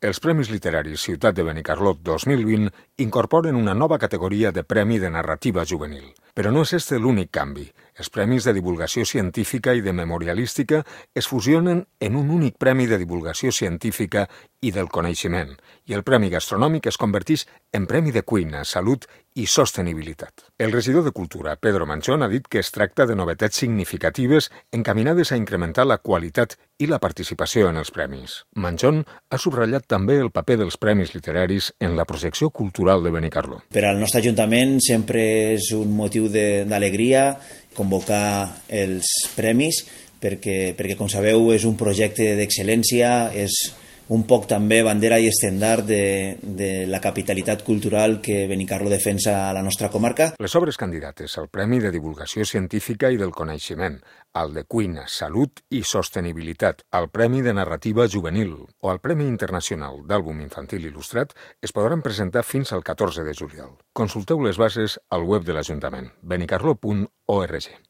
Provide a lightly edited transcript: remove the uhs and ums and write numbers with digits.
Els Premis Literaris Ciutat de Benicarló 2020 incorporen una nova categoria de Premi de Narrativa Juvenil. Però no és este l'únic canvi. Els Premis de Divulgació Científica i de Memorialística es fusionen en un únic Premi de Divulgació Científica i del Coneixement, i el Premi Gastronòmic es converteix en Premi de Cuina, Salut i Sostenibilitat. El regidor de Cultura, Pedro Manchón, ha dit que es tracta de novetats significatives encaminades a incrementar la qualitat i la participació en els premis. Manchón ha subratllat també el paper dels premis literaris en la projecció cultural de Benicarló. Per al nostre Ajuntament sempre és un motiu d'alegria convocar els premis perquè, com sabeu, és un projecte d'excel·lència, és un poc també bandera i estendard de la capitalitat cultural que Benicarló defensa a la nostra comarca. Les obres candidates al Premi de Divulgació Científica i del Coneixement, al de Cuina, Salut i Sostenibilitat, al Premi de Narrativa Juvenil o al Premi Internacional d'Àlbum Infantil Il·lustrat es podran presentar fins al 14 de juliol. Consulteu les bases al web de l'Ajuntament, benicarló.org.